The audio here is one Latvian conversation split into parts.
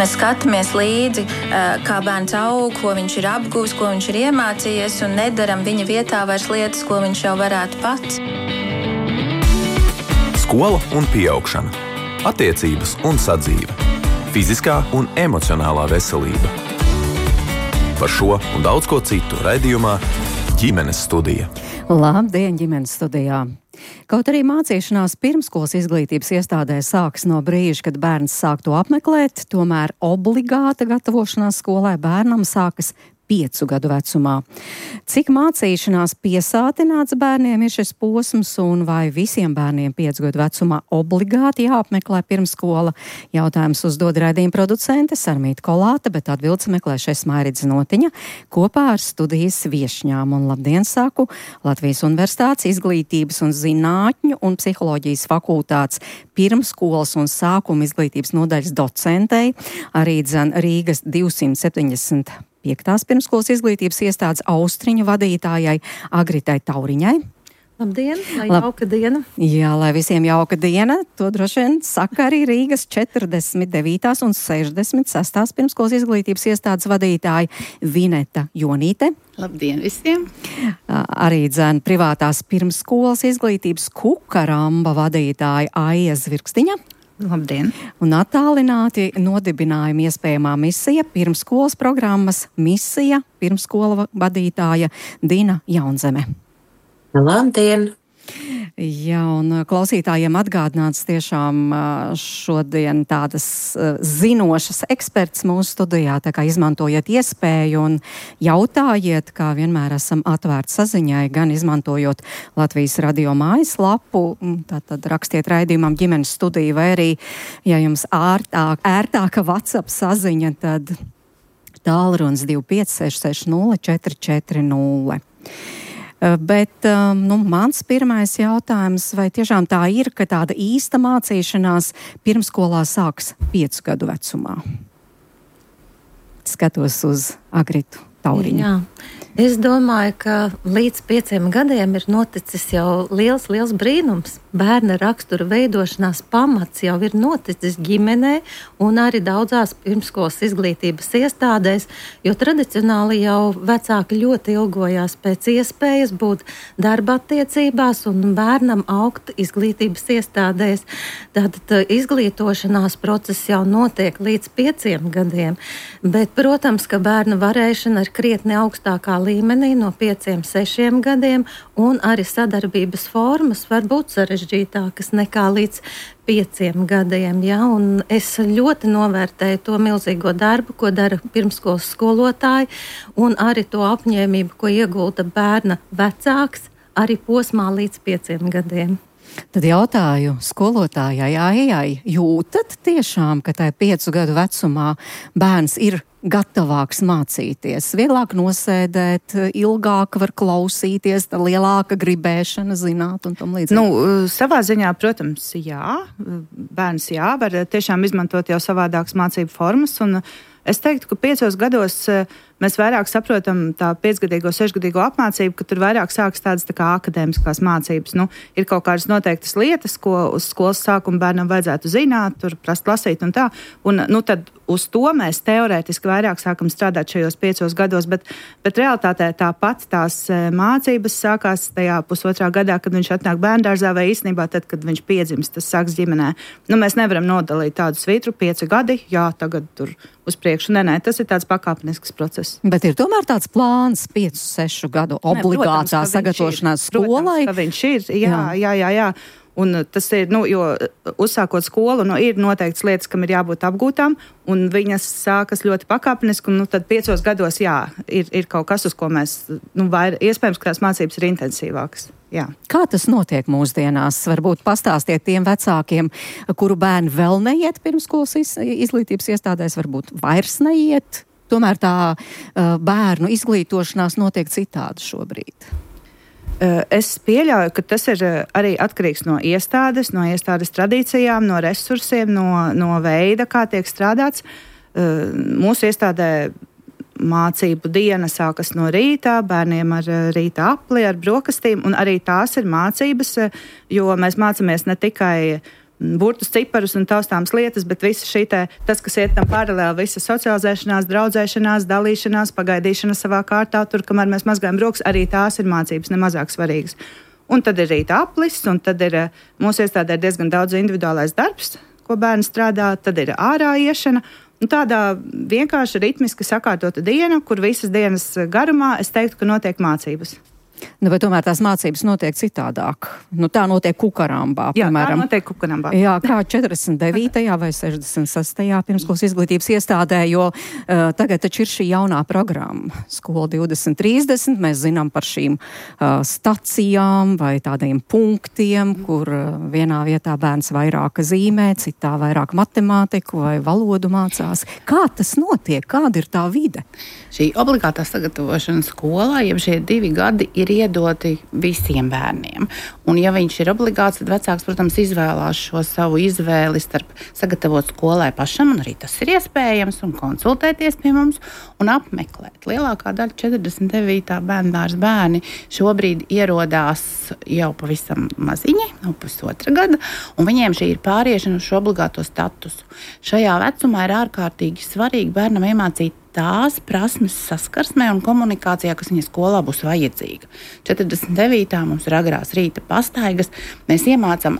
mēs skatāmies līdzi, kā bērns aug, ko viņš ir apguvis, ko viņš ir iemācījies, un nedaram viņa vietā vairs lietas, ko viņš jau varētu pats. Skola un pieaugšana, attiecības un sadzīve, fiziskā un emocionālā veselība. Par šo un daudz ko citu raidījumā Ģimenes studija. Labdien, Ģimenes studijā! Kaut arī mācīšanās pirmskolas izglītības iestādē sākas no brīža, kad bērns sāk to apmeklēt, tomēr obligāta gatavošanās skolai bērnam sākas 5 gadu vecumā. Cik mācīšanās piesātināts bērniem ir šis posms un vai visiem bērniem 5 gadu vecumā obligāti jāapmeklē pirmskola? Jautājums uzdod raidījuma producente Sarmīta Kolāte, bet atbildes meklēšais Mairidze Notiņa kopā ar studijas viešņām. Un labdien saku Latvijas Universitātes izglītības un zinātņu un psiholoģijas fakultātes pirmskolas un sākuma izglītības nodaļas docentei, arī Rīgas 275. Pirmskolas izglītības iestādes Austriņu vadītājai Agritai Tauriņai. Labdien, lai jauka diena. Jā, lai visiem jauka diena. To droši vien saka arī Rīgas 49. un 66. pirmskolas izglītības iestādes vadītāja Vineta Jonīte. Labdien visiem! Arī privātās pirmskolas izglītības Kukaramba vadītāja Aija Zvirkstiņa. Labdien! Un attālināti nodibinājuma iespējamā misija pirmskolas programmas misija pirmskola vadītāja Dina Jaunzeme. Labdien! Jā, un klausītājiem atgādināts tiešām šodien tādas zinošas eksperts mūsu studijā, tā kā izmantojiet iespēju un jautājiet, kā vienmēr esam atvērti saziņai, gan izmantojot Latvijas radio mājaslapu, tātad rakstiet raidījumam Ģimenes studija, vai arī, ja jums ērtāka WhatsApp saziņa, tad tālrunis 25660 440. Bet mans pirmais jautājums, vai tiešām tā ir, ka tāda īsta mācīšanās pirmskolā sāks 5 gadu vecumā? Skatos uz Agritu Tauriņu. Jā. Es domāju, ka līdz 5 gadiem ir noticis jau liels brīnums. Bērna rakstura veidošanās pamats jau ir noticis ģimenē un arī daudzās pirmskolas izglītības iestādēs, jo tradicionāli jau vecāki ļoti ilgojās pēc iespējas būt darba attiecībās un bērnam augt izglītības iestādēs. Tātad izglītošanās process jau notiek līdz 5 gadiem, bet, protams, ka bērna varēšana ir krietni augstākā līmenī no 5-6 gadiem, un arī sadarbības formas var būt sarežģītākas nekā līdz 5 gadiem. Ja? Un es ļoti novērtēju to milzīgo darbu, ko dara pirmskolas skolotāji, un arī to apņēmību, ko iegulda bērna vecāks arī posmā līdz 5 gadiem. Tad jautāju skolotājai Aijai, jūtat tiešām, ka tai 5 gadu vecumā bērns ir gatavāks mācīties, vieglāk nosēdēt, ilgāk var klausīties, lielāka gribēšana zināt un tam līdzīgi? Savā ziņā, protams, jā. Bērns var tiešām izmantot jau savādākas mācību formas, un es teiktu, ka 5 gados mēs vairāk saprotam tā 5-gadīgo, 6-gadīgo apmācību, ka tur vairāk sākas tādas tā kā akadēmiskās mācības. Ir kaut kādas noteiktas lietas, ko uz skolas sākuma bērnam vajadzētu zināt, tur prast lasīt un tā. Un tad uz to mēs teorētiski vairāk sākam strādāt šajos 5 gados, bet realitātē tāpat tās mācības sākās tajā 1,5 gadā, kad viņš atnāk bērndārzā, vai īstenībā tad, kad viņš piedzimst, tas sāks ģimenē. Mēs nevaram nodalīt tādu svitru 5 gadi, jā, tagad tur uz priekšu. Nē, tas ir tāds pakāpenisks process. Bet ir tomēr tāds plāns 5-6 gadu obligātā sagatavošanās skolai. Protams, ka viņš ir, jā. Un tas ir, jo uzsākot skolu, ir noteikts lietas, kam ir jābūt apgūtām, un viņas sākas ļoti pakāpeniski, un tad 5 gados, ir kaut kas, uz ko mēs, iespējams, ka tās mācības ir intensīvākas. Jā. Kā tas notiek mūsdienās? Varbūt pastāstiet tiem vecākiem, kuru bērni vēl neiet pirmskolas izglītības iestādēs, varbūt vairs neiet. Tomēr tā bērnu izglītošanās notiek citādi šobrīd. Es pieļauju, ka tas ir arī atkarīgs no iestādes tradīcijām, no resursiem, no veida, kā tiek strādāts. Mūsu iestādē mācību diena sākas no rīta, bērniem ar rīta apli, ar brokastīm, un arī tās ir mācības, jo mēs mācāmies ne tikai burtus, ciparus un taustāmas lietas, bet visa tas, kas iet tam paralēli, visa socializēšanās, draudzēšanās, dalīšanās, pagaidīšana savā kārtā, tur, kamēr mēs mazgājam rokas, arī tās ir mācības nemazāk svarīgas. Un tad ir rīta aplis, un tad ir mūsu iestādē diezgan daudz individuālais darbs, ko bērni strādā, tad ir ārā iešana. Un tādā vienkārši ritmiski sakārtota diena, kur visas dienas garumā es teiktu, ka notiek mācības. Vai tomēr tās mācības notiek citādāk? Tā notiek Kukarambā, piemēram. Jā, tā notiek Kukarambā. Jā, kā 49. vai 66. pirmskolas izglītības iestādē, jo tagad taču ir šī jaunā programma. Skola 2030, mēs zinām par šīm stacijām vai tādiem punktiem, kur vienā vietā bērns vairāk zīmē, citā vairāk matemātiku vai valodu mācās. Kā tas notiek? Kāda ir tā vide? Šī obligātā sagatavošana skolā, jeb šie 2 gadi ir iedoti visiem bērniem. Un ja viņš ir obligāts, tad vecāks, protams, izvēlās šo savu izvēli starp sagatavot skolai pašam, un arī tas ir iespējams, un konsultēties pie mums un apmeklēt. Lielākā daļa 49. bērndārs bērni šobrīd ierodās jau pavisam maziņi, no 1,5 gada, un viņiem šī ir pāriešana uz šo obligāto statusu. Šajā vecumā ir ārkārtīgi svarīgi bērnam iemācīt tās prasmes saskarsmē un komunikācijā, kas viņa skolā būs vajadzīga. 49. mums ir agrās rīta pastaigas. Mēs iemācām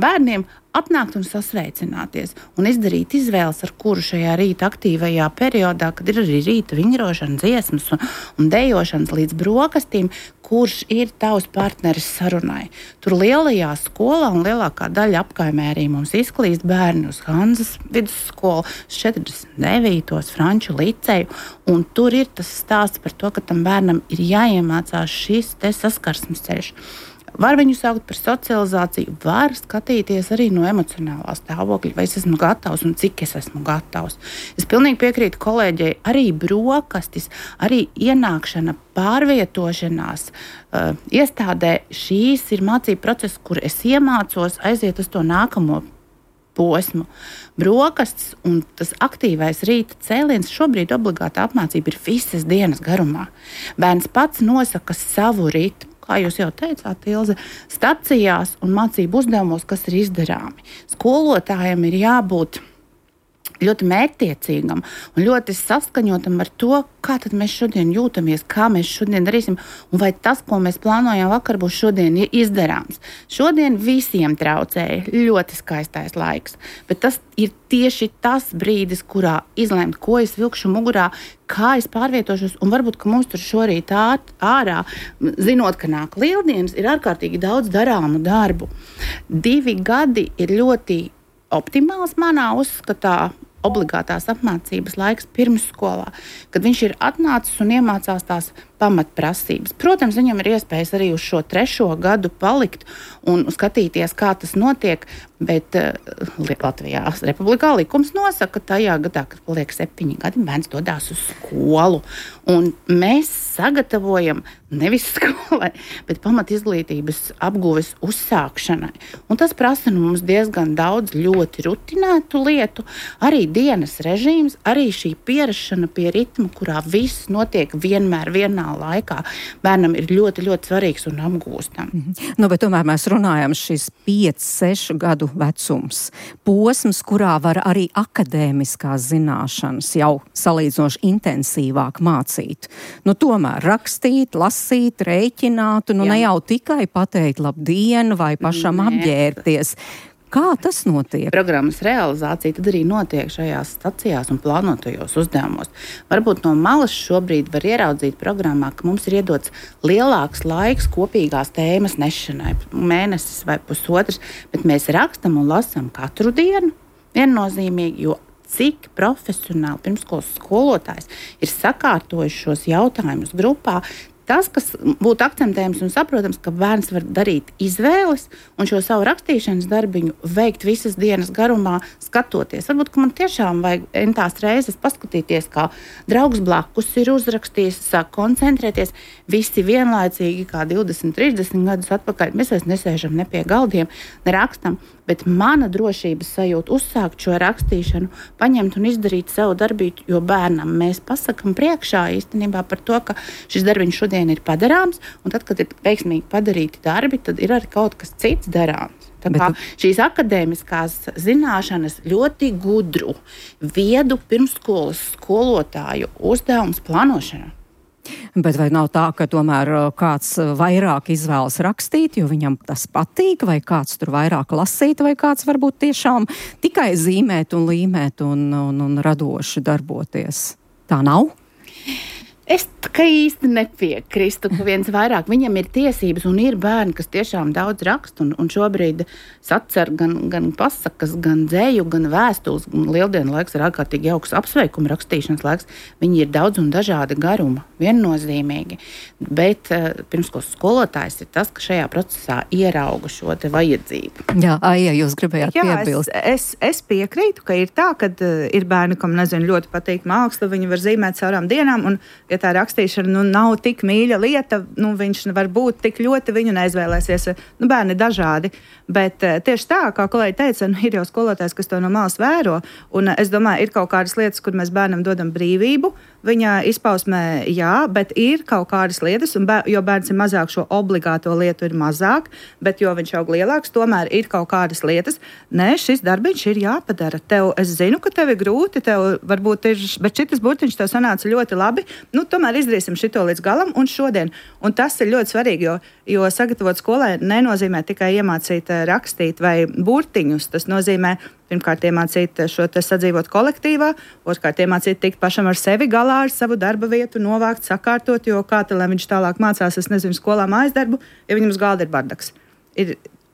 bērniem atnākt un sasveicināties un izdarīt izvēles, ar kuru šajā rīta aktīvajā periodā, kad ir arī rīta vingrošana, dziesmas un dejošanas līdz brokastīm, kurš ir tavs partneris sarunai. Tur lielajā skolā un lielākā daļa apkaimē arī mums izklīst bērni uz Hanzas vidusskolu, 49. Franču liceju, un tur ir tas stāsts par to, ka tam bērnam ir jāiemācās šis te saskarsmes ceļš. Var viņu saukt par socializāciju, var skatīties arī no emocionālā stāvokļa, vai es esmu gatavs un cik es esmu gatavs. Es pilnīgi piekrītu kolēģei, arī brokastis, arī ienākšana, pārvietošanās iestādē, šīs ir mācību process, kur es iemācos aiziet uz to nākamo posmu. Brokastis un tas aktīvais rīta cēliens šobrīd obligāta apmācība ir visas dienas garumā. Bērns pats nosaka savu ritmu. Kā jūs jau teicāt, Ilze, stacijās un mācību uzdevumos, kas ir izdarāmi. Skolotājiem ir jābūt ļoti mērķtiecīgam un ļoti saskaņotam ar to, kā tad mēs šodien jūtamies, kā mēs šodien darīsim, un vai tas, ko mēs plānojam vakar, būs šodien izdarāms. Šodien visiem traucēja ļoti skaistais laiks, bet tas ir tieši tas brīdis, kurā izlemt, ko es vilkšu mugurā, kā es pārvietošos, un varbūt, ka mums tur šorīt ārā, zinot, ka nāk lieldienas, ir ārkārtīgi daudz darāmu darbu. 2 gadi ir ļoti optimāls manā uzskatā obligātās apmācības laiks pirmsskolā, kad viņš ir atnācis un iemācās tās pamatprasības. Protams, viņam ir iespējas arī uz šo 3. gadu palikt un skatīties, kā tas notiek, bet Latvijā Republikā likums nosaka, ka tajā gadā, kad paliek 7 gadi, bērns dodās uz skolu. Un mēs sagatavojam nevis skolai, bet pamatizglītības apguves uzsākšanai. Un tas prasa mums diezgan daudz ļoti rutinētu lietu, arī dienas režīms, arī šī pierašana pie ritma, kurā viss notiek vienmēr vienā laikā. Bērnam ir ļoti, ļoti svarīgs un apgūstams. Bet tomēr mēs runājam šis 5-6 gadu vecums. Posms, kurā var arī akadēmiskās zināšanas jau salīdzinoši intensīvāk mācīt. Tomēr rakstīt, lasīt, rēķināt, ne jau tikai pateikt labdien vai pašam apģērbties. Kā tas notiek? Programmas realizācija tad arī notiek šajās stacijās un plānotajos uzdevumos. Varbūt no malas šobrīd var ieraudzīt programmā, ka mums ir iedots lielāks laiks kopīgās tēmas nešanai, mēnesis vai 1,5, bet mēs rakstam un lasam katru dienu viennozīmīgi, jo cik profesionāli pirmskolas skolotājs ir sakārtojis šos jautājumus grupā. Tas, kas būtu akcentējams un saprotams, ka bērns var darīt izvēles un šo savu rakstīšanas darbiņu veikt visas dienas garumā, skatoties. Varbūt, ka man tiešām vajag entās reizes paskatīties, kā draugs blakus ir uzrakstījis, sāk koncentrēties. Visi vienlaicīgi, kā 20-30 gadus atpakaļ, mēs vairs nesēžam ne pie galdiem, ne rakstam, bet mana drošības sajūta uzsākt šo rakstīšanu, paņemt un izdarīt savu darbību, jo bērnam mēs pasakam priekšā īstenībā par to, ka šis darbiņš šodien ir padarāms, un tad, kad ir veiksmīgi padarīti darbi, tad ir arī kaut kas cits darāms. Tā kā šīs akadēmiskās zināšanas ļoti gudru, viedu pirmsskolas skolotāju uzdevums plānošana. Bet vai nav tā, ka tomēr kāds vairāk izvēlas rakstīt, jo viņam tas patīk, vai kāds tur vairāk lasīt, vai kāds varbūt tiešām tikai zīmēt un līmēt un radoši darboties? Tā nav? Es īsti nepiekrīstu, ka viens vairāk viņam ir tiesības, un ir bērni, kas tiešām daudz raksta, un šobrīd sacer gan pasakas, gan dzēju, gan vēstules, un lieldienu laiks ir ārkārtīgi jauks apsveikuma rakstīšanas laiks. Viņi ir daudz un dažādi garuma, viennozīmīgi, bet pirmskolas skolotājs ir tas, ka šajā procesā ierauga šo te vajadzību. Jā, Aija, jūs gribējāt piebilst. Es piekrītu, ka ir tā, ka ir bērni, kam, ļoti patīk māksla, viņi var zīmēt caurām dienām, un ja tā rakstīšana nav tik mīļa lieta, viņš var būt tik ļoti, viņu neizvēlēsies. Bērni ir dažādi, bet tieši tā, kā kolēģi teica, ir jau skolotājs, kas to no malas vēro, un es domāju, ir kaut kādas lietas, kur mēs bērnam dodam brīvību, viņa izpausmē jā, bet ir kaut kādas lietas, jo bērns ir mazāk, šo obligāto lietu ir mazāk, bet jo viņš aug lielāks, tomēr ir kaut kādas lietas. Nē, šis darbiņš ir jāpadara. Es zinu, ka tev ir grūti, tev varbūt ir, bet šitas burtiņš tev sanāca ļoti labi, tomēr izdarīsim šito līdz galam un šodien. Un tas ir ļoti svarīgi, jo sagatavot skolai nenozīmē tikai iemācīt rakstīt vai burtiņus, tas nozīmē pirmkārt iemācīt šo te sadzīvot kolektīvā, otrkārt iemācīt tikt pašam ar sevi galā, ar savu darba vietu, novākt, sakārtot, jo kā lai viņš tālāk mācās, es nezinu, skolā mājas darbu, ja viņam uz galda ir bardaks.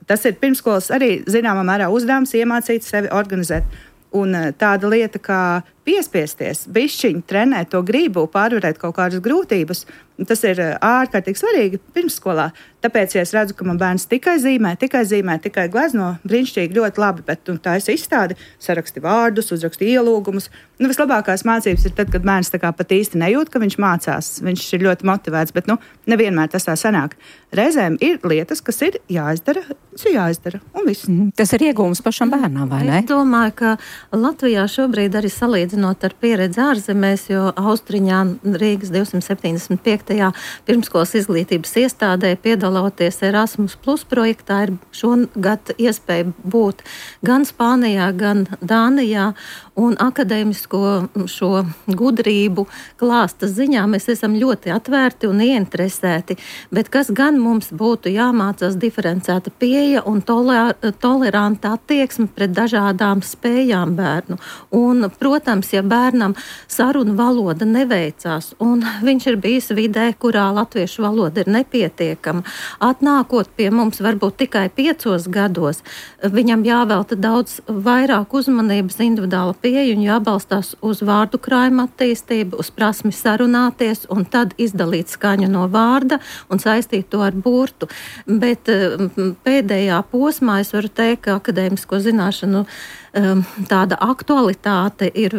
Tas ir pirmskolas arī zināmā mērā uzdevums iemācīt sevi organizēt. Un tāda lieta kā piespiesties, bišķiņi trenēt to gribu, pārvarēt kaut kādas grūtības, tas ir ārkārtīgi svarīgi pirmsskolā. Tāpēc, ja es redzu, ka man bērns tikai zīmē, tikai glezno, brīnišķīgi, ļoti labi, bet tā es izstādi, saraksti vārdus, uzraksti ielūgumus. Vislabākās mācības ir tad, kad bērns tā kā pat īsti nejūt, ka viņš mācās. Viņš ir ļoti motivēts, bet nevienmēr tas tā sanāk. Reizēm ir lietas, kas ir jāizdara, un viss. Tas ir iegūms pašam bērnam, vai ne? Es domāju, ka Latvijā šobrīd arī salīdzinot ar pieredzi ārzemēs, jo Austriņā Rīgas 275. pirmskolas izglītības iestādē piedaloties Erasmus Plus projektā ir šogad iespēja būt gan Spānijā, gan Dānijā, un akadēmisko šo gudrību klāsta ziņā mēs esam ļoti atvērti un ieinteresēti, bet kas gan mums būtu jāmācās diferencēta pieeja un toleranta attieksme pret dažādām spējām bērnu. Un, protams, ja bērnam sarunu valoda neveicās un viņš ir bijis vidē, kurā latviešu valoda ir nepietiekama, atnākot pie mums varbūt tikai 5 gados, viņam jāvelta daudz vairāk uzmanības individuāla pieeja un jābalstās uz vārdu krājuma attīstību, uz prasmi sarunāties un tad izdalīt skaņu no vārda un saistīt to ar burtu. Bet pēdējā posmā es varu teikt, ka akadēmisko zināšanu tāda aktualitāte ir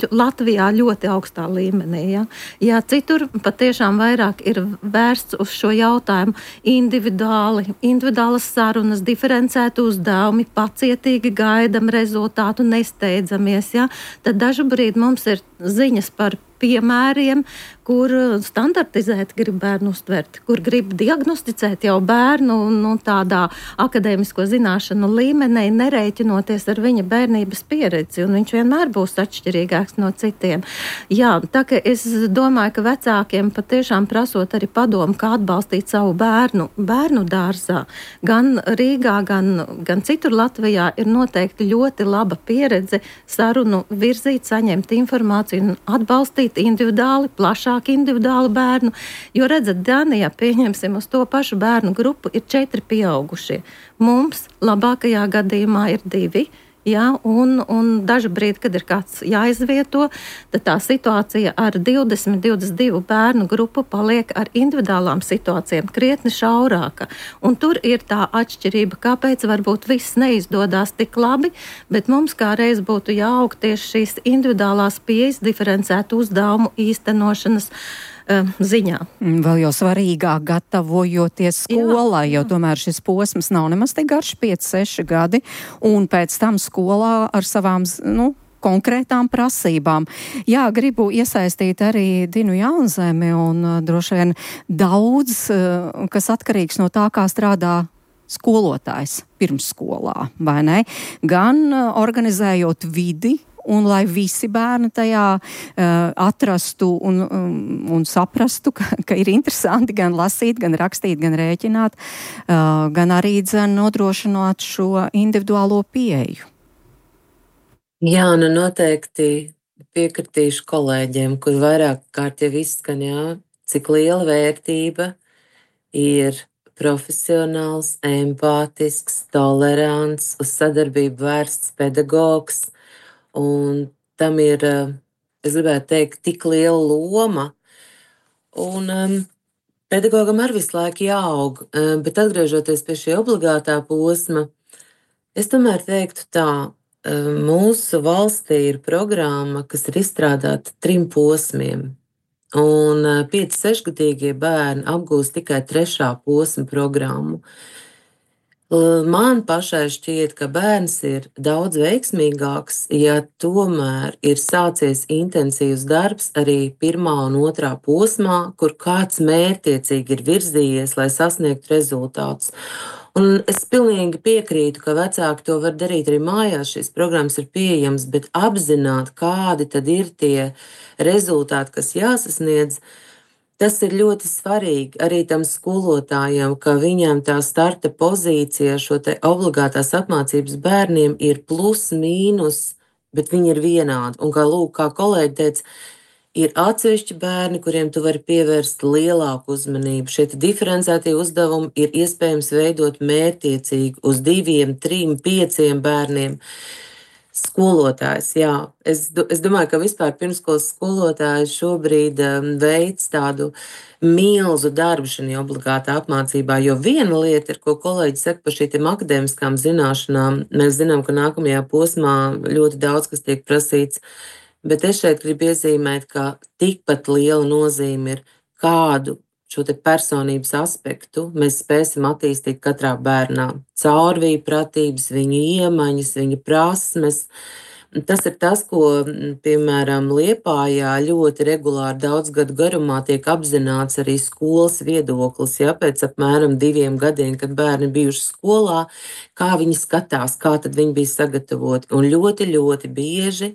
Latvijā ļoti augstā līmenī. Ja citur patiešām vairāk ir vērsts uz šo jautājumu individuālas sarunas, diferencēti uzdevumi, pacietīgi gaidam rezultātu, nesteidzamies, tad dažu brīdi mums ir ziņas par piemēriem, kur standartizēt grib bērnu uztvert, kur grib diagnosticēt jau bērnu tādā akadēmisko zināšanu līmenī, nereiķinoties ar viņa bērnības pieredzi, un viņš vienmēr būs atšķirīgāks no citiem. Jā, tā ka es domāju, ka vecākiem patiešām prasot arī padomu, kā atbalstīt savu bērnu dārzā, gan Rīgā, gan citur Latvijā ir noteikti ļoti laba pieredze sarunu virzīt, saņemt informāciju un atbalstīt individuāli, plašāk individuāli bērnu, jo redzat, Dānijā, pieņemsim, uz to pašu bērnu grupu ir 4 pieaugušie. Mums labākajā gadījumā ir 2, un dažu brīdi, kad ir kāds jāizvieto, tad tā situācija ar 20-22 bērnu grupu paliek ar individuālām situācijām krietni šaurāka. Un tur ir tā atšķirība, kāpēc varbūt viss neizdodās tik labi, bet mums kā reiz būtu jāaug tieši šīs individuālās pieejas, diferencētu uzdevumu īstenošanas ziņā. Vēl jau svarīgāk gatavojoties skolai, jo tomēr šis posms nav nemaz tik garš, 5-6 gadi, un pēc tam skolā ar savām, konkrētām prasībām. Jā, gribu iesaistīt arī Dinu Jaunzemi un droši vien daudz, kas atkarīgs no tā, kā strādā skolotājs pirmsskolā, vai ne? Gan organizējot vidi, un lai visi bērni tajā atrastu un saprastu, ka ir interesanti gan lasīt, gan rakstīt, gan rēķināt, gan arī nodrošināt šo individuālo pieeju. Jā, nu noteikti piekritīšu kolēģiem, kur vairāk kārt jau izskan, cik liela vērtība ir profesionāls, empātisks, tolerants, uz sadarbību vērsts pedagogs. Un tam ir, es gribētu teikt, tik liela loma. Un pedagogam arī visu laiku jāaug, bet atgriežoties pie šī obligātā posma, es tomēr teiktu tā, mūsu valstī ir programma, kas ir izstrādāta 3 posmiem. Un 5-6-gadīgie bērni apgūst tikai 3. posma programmu. Man pašai šķiet, ka bērns ir daudz veiksmīgāks, ja tomēr ir sācies intensīvs darbs arī 1. un 2. posmā, kur kāds mērķtiecīgi ir virzījies, lai sasniegtu rezultātus. Un es pilnīgi piekrītu, ka vecāki to var darīt arī mājās, šīs programmas ir pieejamas, bet apzināt, kādi tad ir tie rezultāti, kas jāsasniedz, tas ir ļoti svarīgi arī tam skolotājam, ka viņam tā starta pozīcija šo te obligātās apmācības bērniem ir plus, mīnus, bet viņi ir vienādi. Un kā kolēģi teica, ir atsevišķi bērni, kuriem tu vari pievērst lielāku uzmanību. Šie diferencētie uzdevumi ir iespējams veidot mērķtiecīgi uz 2, 3, 5 bērniem. Skolotājs, jā. Es domāju, ka vispār pirmsskolas skolotājs šobrīd veic tādu milzu darbu šajā obligātā apmācībā, jo viena lieta ir, ko kolēģi saka par šīm akadēmiskām zināšanām. Mēs zinām, ka nākamajā posmā ļoti daudz kas tiek prasīts, bet es šeit gribu iezīmēt, ka tikpat liela nozīme ir kādu šo te personības aspektu mēs spēsim attīstīt katrā bērnā. Caurvīja pratības, viņa iemaņas, viņa prasmes. Tas ir tas, ko, piemēram, Liepājā ļoti regulāri daudz gadu garumā tiek apzināts arī skolas viedoklis. Ja, pēc apmēram 2 gadiem, kad bērni bijuši skolā, kā viņi skatās, kā tad viņi bija sagatavoti. Un ļoti, ļoti bieži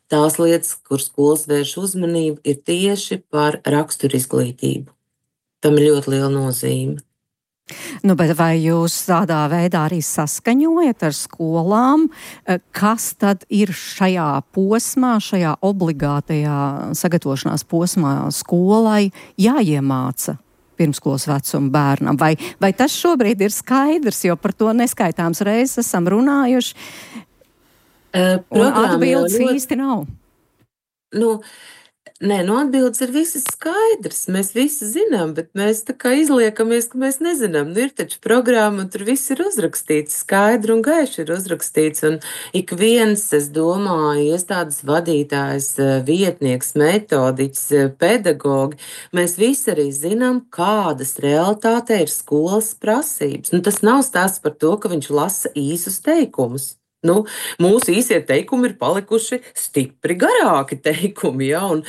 tās lietas, kur skolas vērš uzmanību, ir tieši par raksturizglītību. Tam ir ļoti liela nozīme. Nu, bet vai jūs tādā veidā arī saskaņojat ar skolām, kas tad ir šajā posmā, šajā obligātajā sagatavošanās posmā skolai jāiemāca pirmskolas vecuma bērnam? Vai tas šobrīd ir skaidrs, jo par to neskaitāms reizes esam runājuši, un atbildes īsti nav? Nē, atbildes ir visas skaidrs. Mēs visi zinām, bet mēs tā kā izliekamies, ka mēs nezinām. Ir taču programma, un tur viss ir uzrakstīts, skaidri un gaiši ir uzrakstīts. Un ik viens, es domāju, iestādes vadītājs, vietnieks, metodiķis, pedagogi, mēs visi arī zinām, kādas realitātē ir skolas prasības. Tas nav stāsts par to, ka viņš lasa īsus teikumus. Mūsu īsie teikumi ir palikuši stipri garāki teikumi, ja, un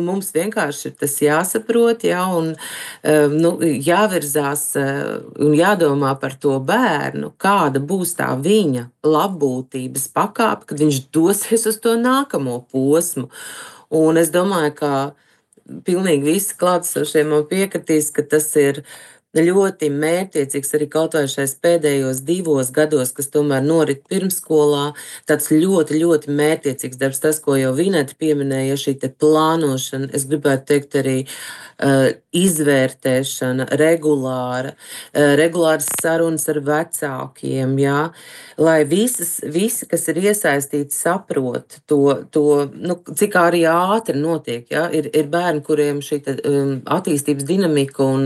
mums vienkārši ir tas jāsaprot, ja, un jāvirzās un jādomā par to bērnu, kāda būs tā viņa labbūtības pakāpe, kad viņš dosies uz to nākamo posmu. Un es domāju, ka pilnīgi visi klātesošie man piekritīs, ka tas ir ļoti mērķtiecīgs arī kaut vai šais pēdējos 2 gados, kas tomēr norit pirmsskolā, tāds ļoti, ļoti mērķtiecīgs darbs, tas, ko jau Vineta pieminēja, šī te plānošana, es gribētu teikt arī izvērtēšana, regulāras sarunas ar vecākiem, jā, lai visi, kas ir iesaistīti, saprot to cik arī ātri notiek, jā, ir bērni, kuriem šī attīstības dinamika un,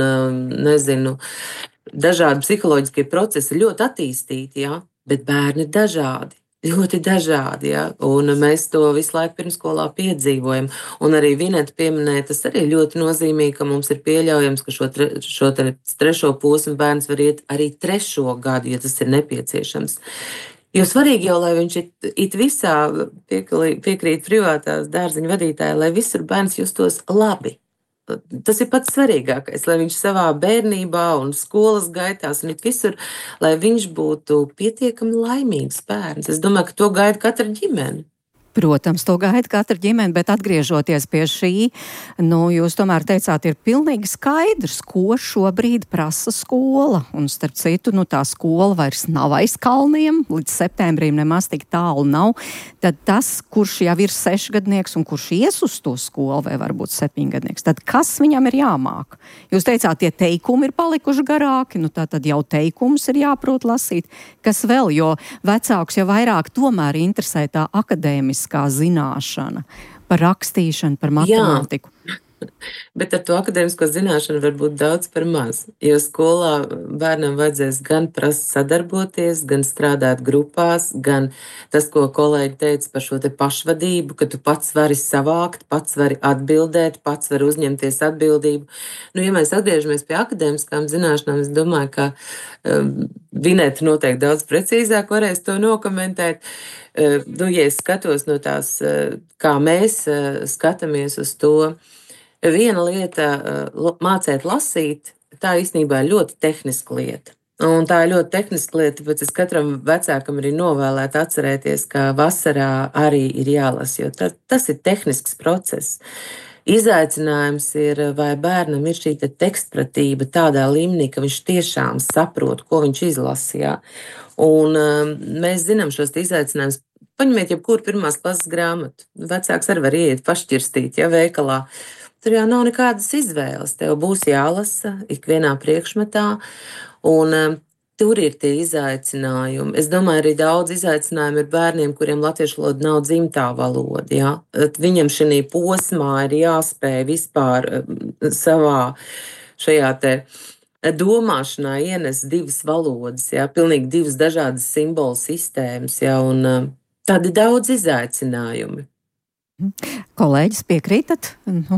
dažādi psiholoģiskie procesi ļoti attīstīti, jā, bet bērni ir dažādi. Ļoti dažādi, ja? Un mēs to visu laiku pirmsskolā piedzīvojam. Un arī Vineta pieminēja, tas arī ļoti nozīmīgi, ka mums ir pieļaujams, ka šo 3. posmu bērns var iet arī 3. gadu, ja tas ir nepieciešams. Jo svarīgi jau, lai viņš it visā piekrīt privātās dārziņu vadītāji, lai visur bērns justos labi. tas ir pats svarīgākais, lai viņš savā bērnībā un skolas gaitās un visur, lai viņš būtu pietiekami laimīgs bērns. Es domāju, ka to gaida katra ģimene. Protams, to gaida katra ģimene, bet atgriežoties pie šī, jūs tomēr teicāt, ir pilnīgi skaidrs, ko šobrīd prasa skola. Un starp citu, tā skola vairs nav aiz kalniem, līdz septembrim nemaz tik tālu nav. Tad tas, kurš jau ir 6-gadnieks un kurš ies uz to skolu, vai varbūt 7-gadnieks, tad kas viņam ir jāmāk? Jūs teicāt, tie teikumi ir palikuši garāki, tad jau teikumus ir jāprot lasīt. Kas vēl, jo vecāks jau vairāk tomēr interesē tā akadēmiskā zināšana par rakstīšanu, par matemātiku. Jā. Bet ar to akadēmisko zināšanu var būt daudz par maz, jo skolā bērnam vajadzēs gan prast sadarboties, gan strādāt grupās, gan tas, ko kolēģi teica par šo te pašvadību, ka tu pats vari savākt, pats vari atbildēt, pats vari uzņemties atbildību. Ja mēs atgriežamies pie akadēmiskām zināšanām, es domāju, ka Vineta noteikti daudz precīzāk varēs to nokomentēt. Ja es skatos no tās, kā mēs skatāmies uz to, viena lieta mācēt lasīt, tā īstenībā ir ļoti tehniska lieta. Un tā ir ļoti tehniska lieta, tāpēc es katram vecākam arī novēlētu atcerēties, ka vasarā arī ir jālasa, jo tas ir tehnisks process. Izaicinājums ir, vai bērnam ir šī tekstpratība tādā līmenī, ka viņš tiešām saprot, ko viņš izlasīja. Un mēs zinām šos izaicinājumus. Paņemiet jebkuru 1. klases grāmatu. Vecāks arī var iet pašķirstīt, veikalā. Tur jau nav nekādas izvēles. Tev būs jālasa ikvienā priekšmetā, un tur ir tie izaicinājumi. Es domāju, arī daudz izaicinājumu ir bērniem, kuriem latviešu valoda nav dzimtā valoda. Ja? Viņam šī posmā ir jāspēj vispār savā šajā te domāšanā ienest 2 valodas, pilnīgi 2 dažādas simbolu sistēmas, un tādi daudz izaicinājumi. Kolēģis, piekrītat?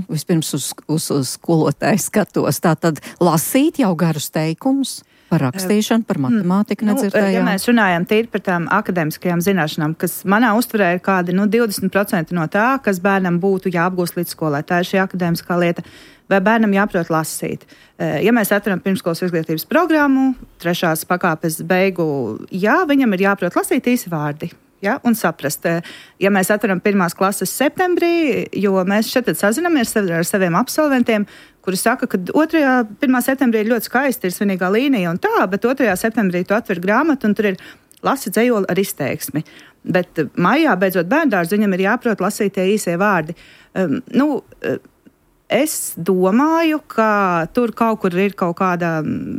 Vispirms uz skolotāju skatos. Tātad lasīt jau garus teikumus par rakstīšanu, par matemātiku nedzirdējām. Ja mēs runājam tīri par tām akadēmiskajām zināšanām, kas manā uztverē ir kādi 20% no tā, kas bērnam būtu jāapgūst līdz skolai. Tā ir šī akadēmiskā lieta. Vai bērnam jāprot lasīt? Ja mēs atveram pirmskolas izglītības programmu, 3. pakāpes beigu, viņam ir jāprot lasīt īsi vārdi. Un saprast, ja mēs atveram 1. klases septembrī, jo mēs šeit sazinamies ar saviem absolventiem, kuri saka, ka 1. septembrī ir ļoti skaisti, ir svinīgā līnija un tā, bet 2. septembrī tu atver grāmatu un tur ir lasi dzejoli ar izteiksmi. Bet maijā, beidzot bērndārzu, viņam ir jāprot lasīt tie īsie vārdi. Es domāju, ka tur kaut kur ir kaut kāda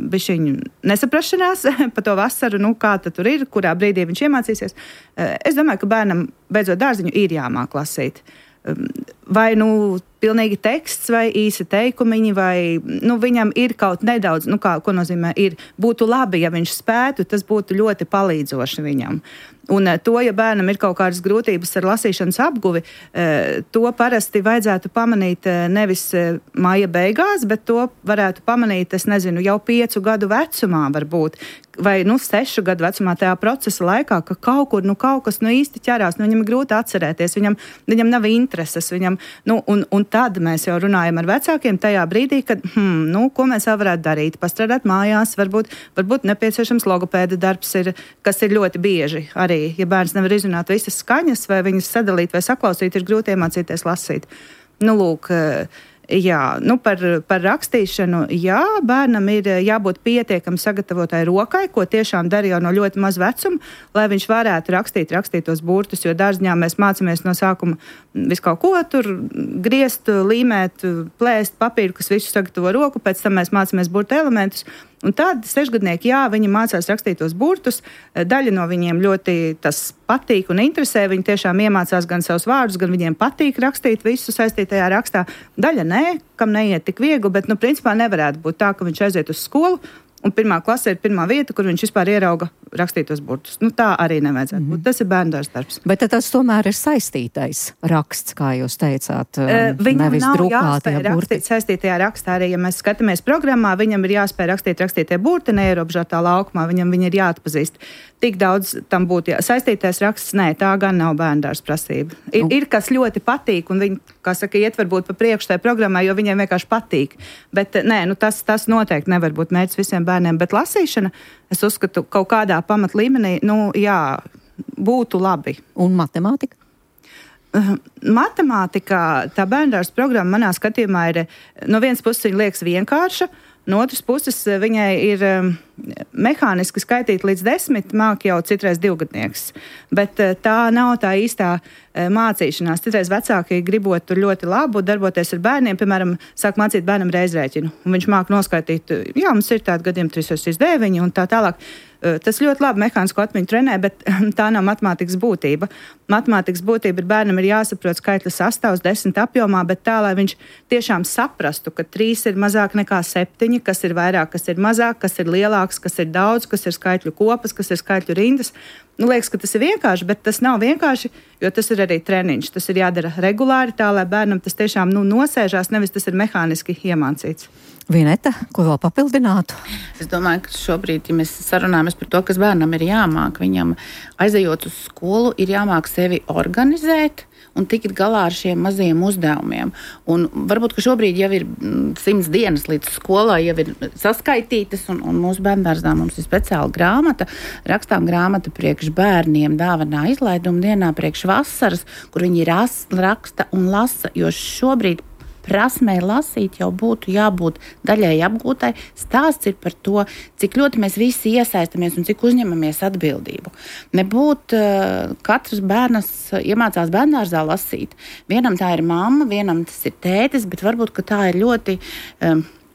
bišķiņa nesaprašanās par to vasaru, kā tad tur ir, kurā brīdī viņš iemācīsies. Es domāju, ka bērnam beidzot dārziņu ir jāmāk lasīt. Vai pilnīgi teksts vai īsi teikumiņi, vai viņam ir kaut nedaudz, ko nozīmē ir, būtu labi, ja viņš spētu, tas būtu ļoti palīdzoši viņam. Un to, ja bērnam ir kaut kādas grūtības ar lasīšanas apguvi, to parasti vajadzētu pamanīt nevis maija beigās, bet to varētu pamanīt, jau 5 gadu vecumā varbūt, vai 6 gadu vecumā tajā procesa laikā, ka kaut kur kaut kas īsti ķerās, viņam ir grūti atcerēties, viņam nav intereses, un tad mēs jau runājam ar vecākiem tajā brīdī, kad, ko mēs vēl varētu darīt, pastrādāt mājās, varbūt nepieciešams logopēda darbs ir, kas ir ļoti bieži arī. Ja bērns nevar izrunāt visas skaņas, vai viņas sadalīt vai saklausīt, ir grūti iemācīties lasīt. Par rakstīšanu, bērnam ir jābūt pietiekami sagatavotai rokai, ko tiešām dara jau no ļoti maz vecuma, lai viņš varētu rakstīt tos burtus, jo dārziņā mēs mācāmies no sākuma visu kaut ko tur griezt, līmēt, plēst papīru, kas visu sagatavo roku, pēc tam mēs mācāmies burtu elementus. Un tad 6-gadnieki, viņi mācās rakstīt tos burtus, daļa no viņiem ļoti tas patīk un interesē, viņi tiešām iemācās gan savus vārdus, gan viņiem patīk rakstīt visu saistītajā rakstā. Daļa nē, kam neiet tik viegli, bet, principā nevarētu būt tā, ka viņš aiziet uz skolu, un 1. klase ir pirmā vieta, kur viņš vispār ierauga rakstītos burtus. Tā arī nevajadzētu būt. Tas ir bērndārs darbs. Bet tas tomēr ir saistītais raksts, kā jūs teicāt, viņam nevis nav drukātie jāspēj burti. rakstīt saistītajā rakstā. Arī, ja mēs skatāmies programmā, viņam ir jāspēj rakstītie burti neierobežotā laukumā. Viņam viņi ir jāatpazīst. Tik daudz tam būtu saistītais raksts, nē, tā gan nav bērndārs prasība. Ir kas ļoti patīk, un viņi, kā saka, iet varbūt pa priekšu tajā programmā, jo viņiem vienkārši patīk. Bet nē, tas noteikti nevar būt mērķis visiem bērniem. Bet lasīšana, es uzskatu, kaut kādā pamatlīmenī, būtu labi. Un matemātika? Matemātikā tā bērndārs programma manā skatījumā ir, no vienas puses viņa liekas vienkārša, no otras puses viņai ir mehāniski skaitīt līdz 10, māk jau citreiz 2-gadnieks. Bet tā nav tā īstā mācīšanās. Citreiz vecāki gribot tur ļoti labu darboties ar bērniem, piemēram, sāk mācīt bērnam reizrēķinu. Un viņš māk noskaitīt, mums ir tādi gadiem 3,9 un tā tālāk. Tas ļoti labi mehānisko atmiņu trenē, bet tā nav matemātikas būtība. Matemātikas būtība ir bērnam ir jāsaprot skaitļa sastāvs 10 apjomā, bet tā, lai viņš tiešām saprastu, ka 3 ir mazāk nekā 7, kas ir vairāk, kas ir mazāk, kas ir lielāks, kas ir daudz, kas ir skaitļu kopas, kas ir skaitļu rindas. Liekas, ka tas ir vienkārši, bet tas nav vienkārši, jo tas ir arī treniņš. Tas ir jādara regulāri tā, lai bērnam tas tiešām nosēžās, nevis tas ir mehāniski iemācīts. Vineta, ko vēl papildinātu? Es domāju, ka šobrīd, ja mēs sarunājamies par to, kas bērnam ir jāmāk, viņam aizejot uz skolu, ir jāmāk sevi organizēt un tikt galā ar šiem mazajiem uzdevumiem. Un varbūt, ka šobrīd jau ir 100 dienas līdz skolai, jau ir saskaitītas, un mūsu bērndārzā mums ir speciāla grāmata, rakstām grāmata priekš bērniem dāvanā izlaiduma dienā priekš vasaras, kur viņi raksta un lasa, jo šobrīd prasmē lasīt jau būtu jābūt daļai apgūtai. Stāsts ir par to, cik ļoti mēs visi iesaistamies un cik uzņemamies atbildību. Nebūt katrs bērns iemācās bērndārzā lasīt. Vienam tā ir mamma, vienam tas ir tētis, bet varbūt, ka tā ir ļoti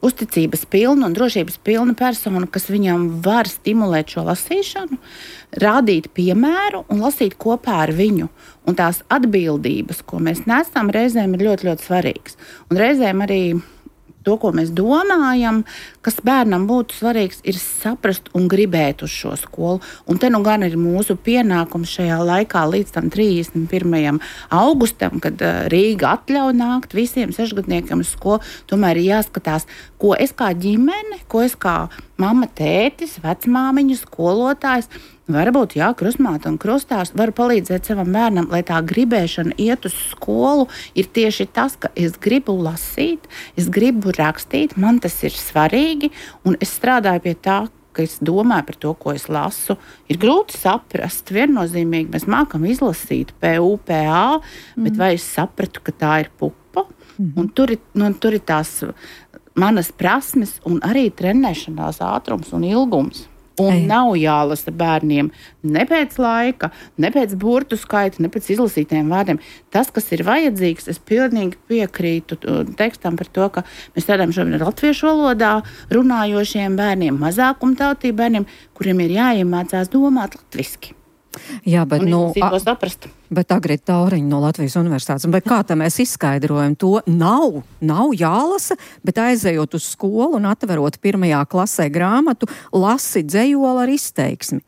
uzticības pilna un drošības pilna persona, kas viņam var stimulēt šo lasīšanu, rādīt piemēru un lasīt kopā ar viņu. Un tās atbildības, ko mēs nesam, reizēm ir ļoti, ļoti svarīgas. Un reizēm arī to, ko mēs domājam, kas bērnam būtu svarīgs, ir saprast un gribēt uz šo skolu. Un te nu gan ir mūsu pienākums šajā laikā līdz tam 31. augustam, kad Rīga atļauj nākt visiem 6-gadniekiem uz skolu. Tomēr ir jāskatās, ko es kā ģimene, ko es kā mamma, tētis, vecmāmiņa, skolotājs, varbūt krustmāte un krustārs var palīdzēt savam bērnam, lai tā gribēšana iet uz skolu ir tieši tas, ka es gribu lasīt, es gribu rakstīt, man tas ir svarīgi, un es strādāju pie tā, ka es domāju par to, ko es lasu. Ir grūti saprast, viennozīmīgi mēs mākam izlasīt PUPA, bet vai es sapratu, ka tā ir pupa? Un tur ir tās manas prasmes un arī trenēšanās ātrums un ilgums. Un nav jālasa bērniem ne pēc laika, ne pēc burtu skaita, ne pēc izlasītiem vārdiem. Tas, kas ir vajadzīgs, es pilnīgi piekrītu tekstam par to, ka mēs strādājam šobrīd latviešu valodā runājošiem bērniem, mazākumtautību bērniem, kuriem ir jāiemācās domāt latviski. Jā, bet bet Agrita Tauriņa no Latvijas universitātes. Bet kā tā mēs izskaidrojam to? Nav jālasa, bet aizejot uz skolu un atverot 1. klasē grāmatu, lasi dzejoli ar izteiksmi.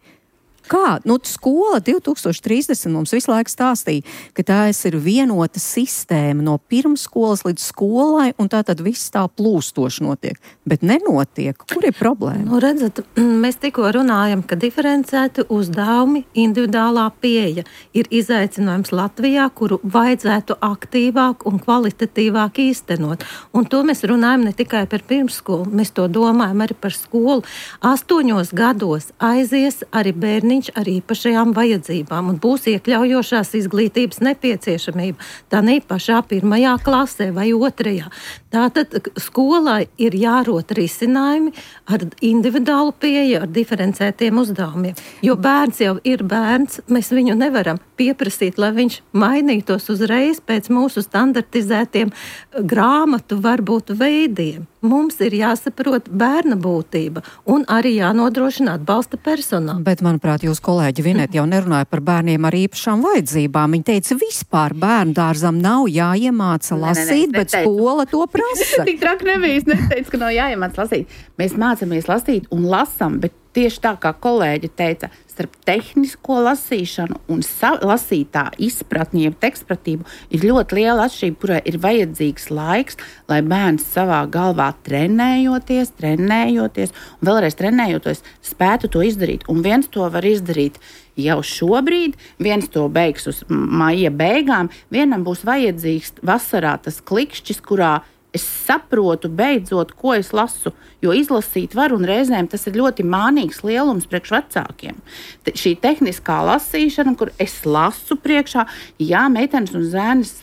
Kā? Skola 2030 mums visu laiku stāstīja, ka tā ir vienota sistēma no pirmskolas līdz skolai, un tā tad viss tā plūstoši notiek. Bet nenotiek. Kur ir problēma? Redzat, mēs tikko runājam, ka diferencēti uzdevumi, individuālā pieeja ir izaicinājums Latvijā, kuru vajadzētu aktīvāk un kvalitatīvāk īstenot. Un to mēs runājam ne tikai par pirmskolu, mēs to domājam arī par skolu. 8 gados aizies arī bērniņš ar īpašajām vajadzībām un būs iekļaujošās izglītības nepieciešamība. Tā ne pašā 1. klasē vai 2. Tātad skolai ir jārot risinājumi ar individuālu pieeju, ar diferencētiem uzdevumiem. Jo bērns jau ir bērns, mēs viņu nevaram pieprasīt, lai viņš mainītos uzreiz pēc mūsu standartizētiem grāmatu varbūt veidiem. Mums ir jāsaprot bērna būtība un arī jānodrošina atbalsta personāla. Bet, manuprāt, jūs kolēģi Vineta jau nerunāja par bērniem ar īpašām vajadzībām. Viņa teica, vispār bērndārzam nav jāiemāca lasīt, bet skola to prasa. Tik traki nebija, es neteicu, ka nav jāiemāca lasīt. Mēs mācāmies lasīt un lasam, bet tieši tā, kā kolēģi teica, starp tehnisko lasīšanu un lasītā izpratni, jeb tekstpratību, ir ļoti liela atšķirība, kurai ir vajadzīgs laiks, lai bērns savā galvā trenējoties, un vēlreiz trenējoties, spētu to izdarīt. Un viens to var izdarīt jau šobrīd, viens to beigs uz maija beigām, vienam būs vajadzīgs vasarā tas klikšķis, kurā es saprotu beidzot, ko es lasu, jo izlasīt var, un reizēm tas ir ļoti mānīgs lielums priekš vecākiem. Šī tehniskā lasīšana, kur es lasu priekšā, jā, meitenes un zēnis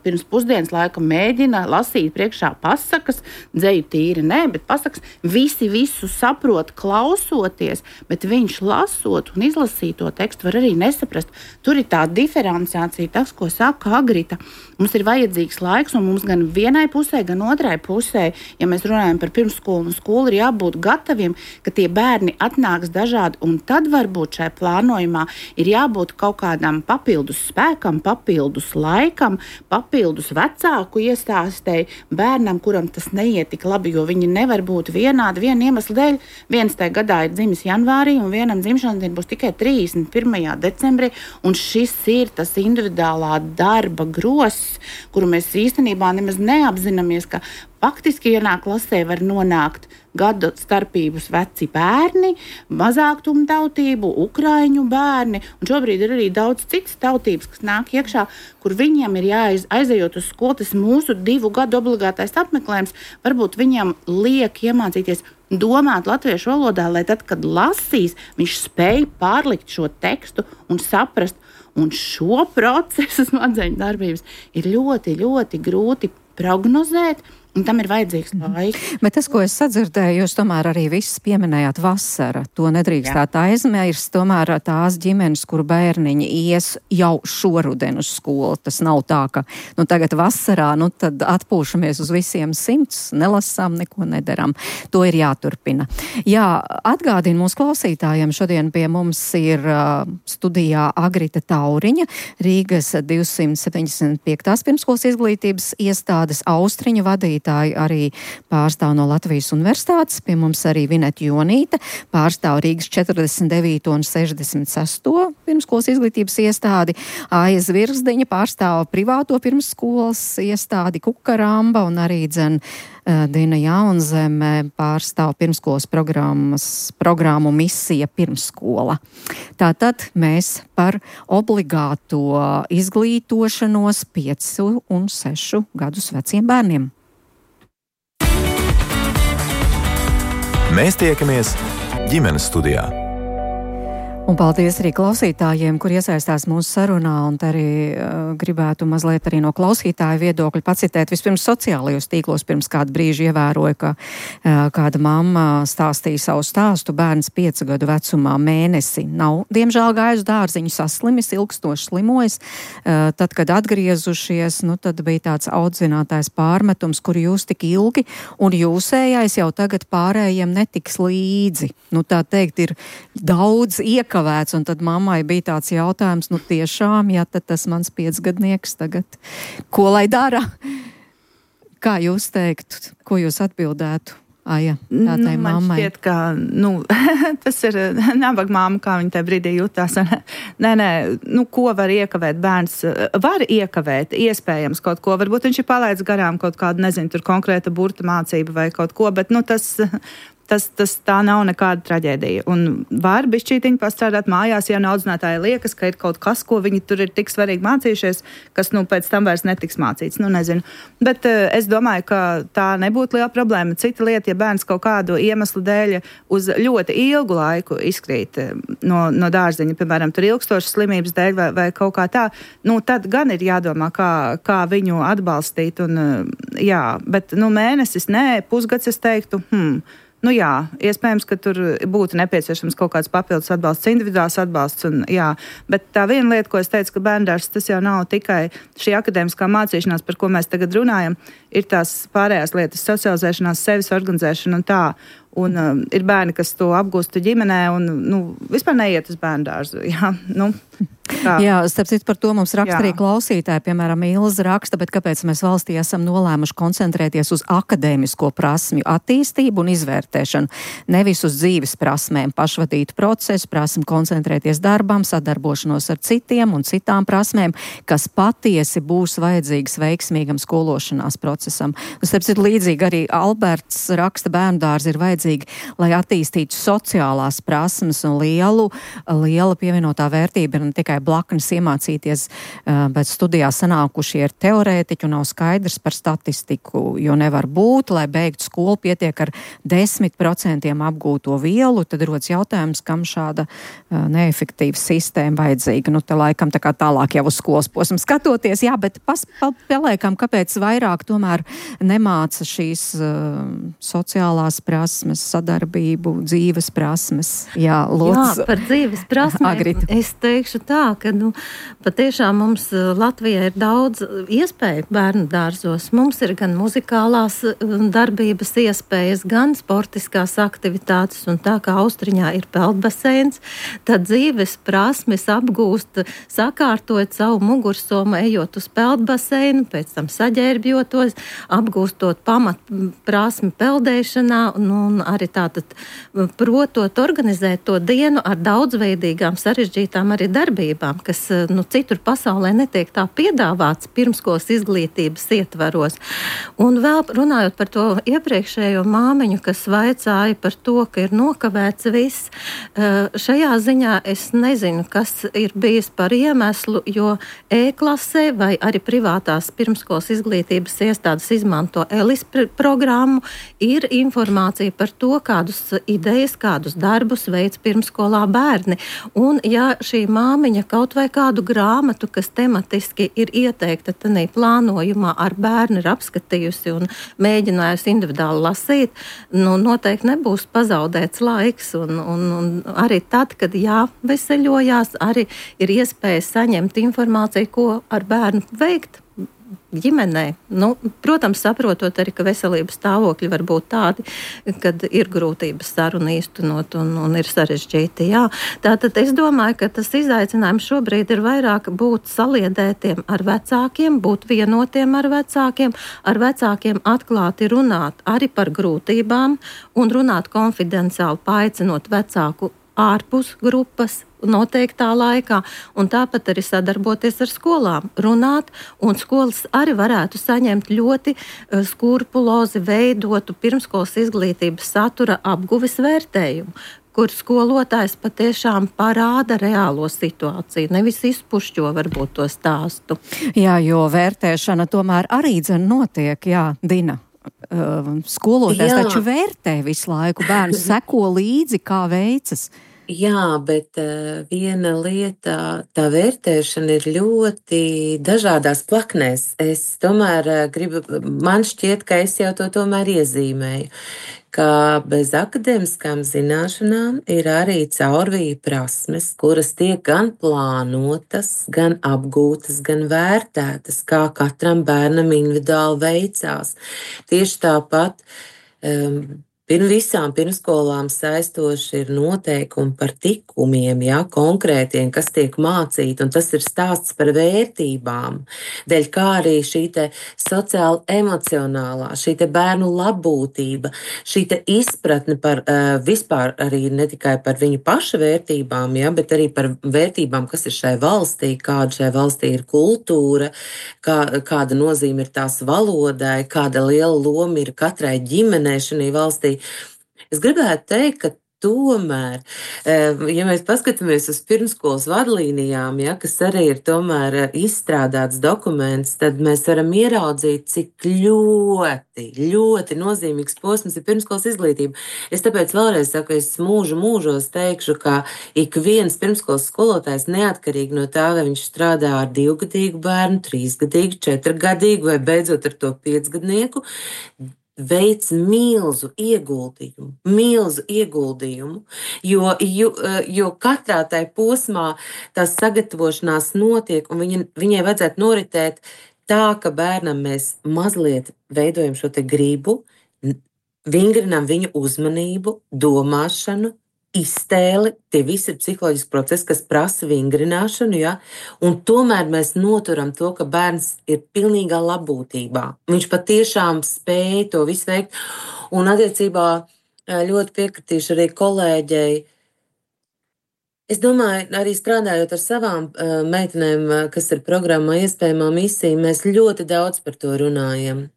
pirms pusdienas laika mēģina lasīt priekšā pasakas, dzeju tīri nē, bet pasakas, visi visu saprot klausoties, bet viņš lasot un izlasīt to tekstu var arī nesaprast. Tur ir tā diferenciācija, tas, ko saka Agrita. Mums ir vajadzīgs laiks, un mums gan vienai pusē, gan otrai pusē, ja mēs runājam par pirmsskolu un skolu, ir jābūt gataviem, ka tie bērni atnāks dažādi, un tad varbūt šai plānojumā ir jābūt kaut kādam papildus spēkam, papildus laikam, papildus vecāku iestāstēji bērnam, kuram tas neiet tik labi, jo viņi nevar būt vienādi viena iemesla dēļ. Viens tajā gadā ir dzimis janvārī, un vienam dzimšanas diena būs tikai 31. decembrī, un šis ir tas individuālā darba gross, kuru mēs īstenībā nemaz neapzināmies, ka faktiski vienā klasē var nonākt gadu starpības veci bērni, mazāktumtautību, ukraiņu bērni, un šobrīd ir arī daudz citas tautības, kas nāk iekšā, kur viņiem ir aizejot uz skolu, tas mūsu 2 gadu obligātais apmeklējums, varbūt viņam liek iemācīties domāt latviešu valodā, lai tad, kad lasīs, viņš spēj pārlikt šo tekstu un saprast, un šo procesu smadzeņu darbības ir ļoti, ļoti grūti prognozēt, un tam ir vajadzīgs laiks. Bet tas, ko es sadzirdēju, jūs tomēr arī viss pieminējāt vasara. To nedrīkstāt aizmirst. Tomēr tās ģimenes, kur bērniņi ies jau šoruden uz skolu. Tas nav tā, ka tagad vasarā, tad atpūšamies uz visiem 100, nelasām, neko nedaram. To ir jāturpina. Jā, atgādinu mūsu klausītājiem, šodien pie mums ir studijā Agrita Tauriņa, Rīgas 275. pirmskolas izglītības iestādes Austriņa vadītāja, arī pārstāv no Latvijas Universitātes, pie mums arī Vineta Jonīte, pārstāv Rīgas 49. un 66. pirmskolas izglītības iestādi, Aija Zvirzdiņa pārstāv privāto pirmskolas iestādi Kukaramba, un arī Dina Jaunzeme pārstāv pirmskolas programmu Misija pirmskola. Tātad mēs par obligāto izglītošanos 5 un 6 gadus veciem bērniem. Mēs tiekamies ģimenes studijā. Un paldies arī klausītājiem, kur iesaistās mūsu sarunā, un arī gribētu mazliet arī no klausītāja viedokļa pacitēt. Vispirms sociālajos tīklos pirms kādu brīžu ievēroja, ka kāda mamma stāstīja savu stāstu, bērns 5 gadu vecumā mēnesi nav, diemžēl, gājis dārziņu, saslimis, ilgstoši slimojis. Tad, kad atgriezušies, tad bija tāds audzinātājs pārmetums, kur jūs tik ilgi, un jūsējais jau tagad pārējiem netiks līdzi. Tā teikt, ir daudz iekavēts, un tad mammai bija tāds jautājums, tiešām, ja tad tas mans 5-gadnieks tagad, ko lai dara? Kā jūs teiktu, ko jūs atbildētu? Aija, tādai mammai. Man šķiet, ka, tas ir nabaga mamma, kā viņa tajā brīdī jutās. Nē, ko var iekavēt bērns? Var iekavēt, iespējams kaut ko. Varbūt viņš ir palaidis garām kaut kādu, nezinu, tur konkrēta burta mācība vai kaut ko, bet, tas tā nav nekāda traģēdija. Un var bišķītiņi pastrādāt mājās, ja audzinātāji liekas, ka ir kaut kas, ko viņi tur ir tik svarīgi mācījušies, kas, pēc tam vairs netiks mācīts. Nezinu. Bet es domāju, ka tā nebūtu liela problēma. Cita lieta, ja bērns kaut kādu iemeslu dēļ uz ļoti ilgu laiku izkrīt no dārziņa, piemēram, tur ilgstošas slimības dēļ vai kaut kā tā, tad gan ir jādomā, kā viņu atbalstīt. Bet mēnesis, pusgads, es teiktu, jā, iespējams, ka tur būtu nepieciešams kaut kāds papildus atbalsts, individuāls atbalsts, bet tā viena lieta, ko es teicu, ka bērndārs, tas jau nav tikai šī akadēmiskā mācīšanās, par ko mēs tagad runājam, ir tās pārējās lietas, socializēšanās, sevis organizēšana un tā. Un ir bērni, kas to apgūst ģimenē un vispār neiet uz bērnu dārzu. Jā, Jā, starp citu par to mums raksta arī klausītāji, piemēram, Ilza raksta, bet kāpēc mēs valstī esam nolēmuši koncentrēties uz akadēmisko prasmju attīstību un izvērtēšanu, nevis uz dzīves prasmēm, pašvadītu procesu, prasmi koncentrēties darbam, sadarbošanos ar citiem un citām prasmēm, kas patiesi būs vajadzīgas veiksmīgam skološanās procesam. Starp citu, līdzīgi arī Alberts raksta, bērndārzi ir vajadzīgi, lai attīstītu sociālās prasmes un liela pievienotā vērtība ir ne tikai blaknes iemācīties, bet studijā sanākušie ir teorētiķi un nav skaidrs par statistiku, jo nevar būt, lai beigtu skolu pietiek ar 10% apgūto vielu, tad rodas jautājums, kam šāda neefektīva sistēma vajadzīga. Te laikam tā kā tālāk jau uz skolas posmu skatoties, jā, bet paliekam, kāpēc vairāk tomēr nemāca šīs sociālās prasmes, sadarbību, dzīves prasmes. Jā, lūdzu. Jā, par dzīves prasmēm Agrita. Es teikšu tā, ka patiešām mums Latvijā ir daudz iespēju bērnu dārzos. Mums ir gan muzikālās darbības iespējas, gan sportiskās aktivitātes, un tā kā Austriņā ir peldbaseins, tad dzīves prasmes apgūst, sakārtojot savu mugursomu, ejot uz peldbaseinu, pēc tam saģērbjotos, apgūstot pamat prasmi peldēšanā, un arī tātad protot organizēt to dienu ar daudzveidīgām, sarežģītām arī darbībām, kas citur pasaulē netiek tā piedāvāts pirmskolas izglītības ietvaros. Un vēl runājot par to iepriekšējo māmiņu, kas vaicāja par to, ka ir nokavēts viss, šajā ziņā es nezinu, kas ir bijis par iemeslu, jo E-klasē vai arī privātās pirmskolas izglītības iestādes izmanto ELIS programmu, ir informācija par to, kādus idejas, kādus darbus veids pirmskolā bērni. Un ja šī māmiņa kaut vai kādu grāmatu, kas tematiski ir ieteikta tanī plānojumā ar bērnu ir apskatījusi un mēģinājusi individuāli lasīt, noteikti nebūs pazaudēts laiks. Un arī tad, kad jāveseļojās, arī ir iespēja saņemt informāciju, ko ar bērnu veikt ģimenē. Protams, saprotot arī, ka veselības stāvokļi var būt tādi, kad ir grūtības sarunu īstenot un ir sarežģīti. Jā. Tātad es domāju, ka tas izaicinājums šobrīd ir vairāk būt saliedētiem ar vecākiem, būt vienotiem ar vecākiem atklāti runāt arī par grūtībām un runāt konfidenciāli, paaicinot vecāku ārpus grupas noteiktā laikā, un tāpat arī sadarboties ar skolām, runāt, un skolas arī varētu saņemt ļoti skrupulozi veidotu pirmskolas izglītības satura apguves vērtējumu, kur skolotājs patiešām parāda reālo situāciju, nevis izpušķo varbūt to stāstu. Jā, jo vērtēšana tomēr arī notiek, jā, Dina. Skolotājs taču vērtē visu laiku, bērns seko līdzi, kā veicas. Jā, bet viena lieta, tā vērtēšana ir ļoti dažādās plaknēs. Es tomēr man šķiet, ka es jau to tomēr iezīmēju, ka bez akadēmiskām zināšanām ir arī caurvīja prasmes, kuras tiek gan plānotas, gan apgūtas, gan vērtētas, kā katram bērnam individuāli veicās. Tieši tāpat visām pirmskolām saistoši ir noteikumi par tikumiem, konkrētiem, kas tiek mācīti, un tas ir stāsts par vērtībām, dēļ kā arī šī te sociāli emocionālā, šī te bērnu labbūtība, šī te izpratne par vispār arī ne tikai par viņu paša vērtībām, bet arī par vērtībām, kas ir šai valstī, kāda šai valstī ir kultūra, kāda nozīme ir tās valodai, kāda liela loma ir katrai ģimenei šajā valstī. Es gribētu teikt, ka tomēr, ja mēs paskatāmies uz pirmskolas vadlīnijām, kas arī ir tomēr izstrādāts dokuments, tad mēs varam ieraudzīt, cik ļoti nozīmīgs posms ir pirmskolas izglītība. Es tāpēc vēlreiz saku, es mūžos teikšu, ka ik viens pirmskolas skolotājs neatkarīgi no tā, vai viņš strādā ar 2-gadīgu bērnu, 3-gadīgu, 4-gadīgu vai beidzot ar to 5-gadnieku, veic milzu ieguldījumu, jo katrā tai posmā tās sagatavošanās notiek, un viņai vajadzētu noritēt tā, ka bērnam mēs mazliet veidojam šo te gribu, vingrinām viņu uzmanību, domāšanu, iztēli. Tie visi ir psiholoģiski procesi, kas prasa vingrināšanu, ja? Un tomēr mēs noturam to, ka bērns ir pilnīgā labbūtībā. Viņš patiešām spēja to visu veikt. Un attiecībā ļoti piekritīšu arī kolēģei. Es domāju, arī strādājot ar savām meitenēm, kas ir programmā Iespējamā misija, mēs ļoti daudz par to runājam.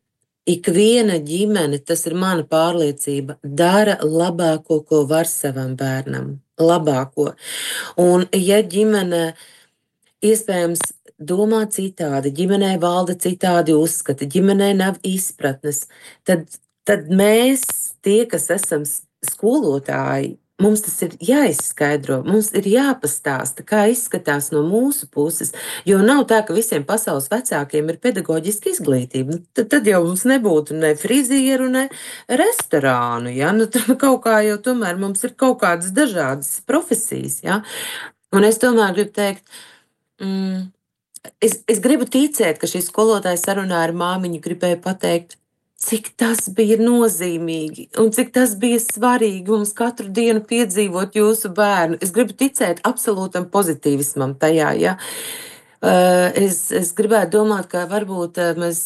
Ikviena ģimene, tas ir mana pārliecība, dara labāko, ko var savam bērnam. Labāko. Un ja ģimene iespējams domā citādi, ģimenē valda citādi uzskati, ģimenē nav izpratnes, tad mēs, tie, kas esam skolotāji, mums tas ir jāizskaidro, mums ir jāpastāsta, kā izskatās no mūsu puses, jo nav tā, ka visiem pasaules vecākiem ir pedagoģiska izglītība. Tad jau mums nebūtu ne frizieru, ne restorānu, ja? Kaut kā jau tomēr mums ir kaut kādas dažādas profesijas, ja? Un es tomēr gribu teikt, es gribu ticēt, ka šī skolotāja sarunā ar māmiņu gribēja pateikt, cik tas bija nozīmīgi un cik tas bija svarīgi mums katru dienu piedzīvot jūsu bērnu. Es gribu ticēt absolūtam pozitīvismam tajā, ja. Es gribētu domāt, ka varbūt mēs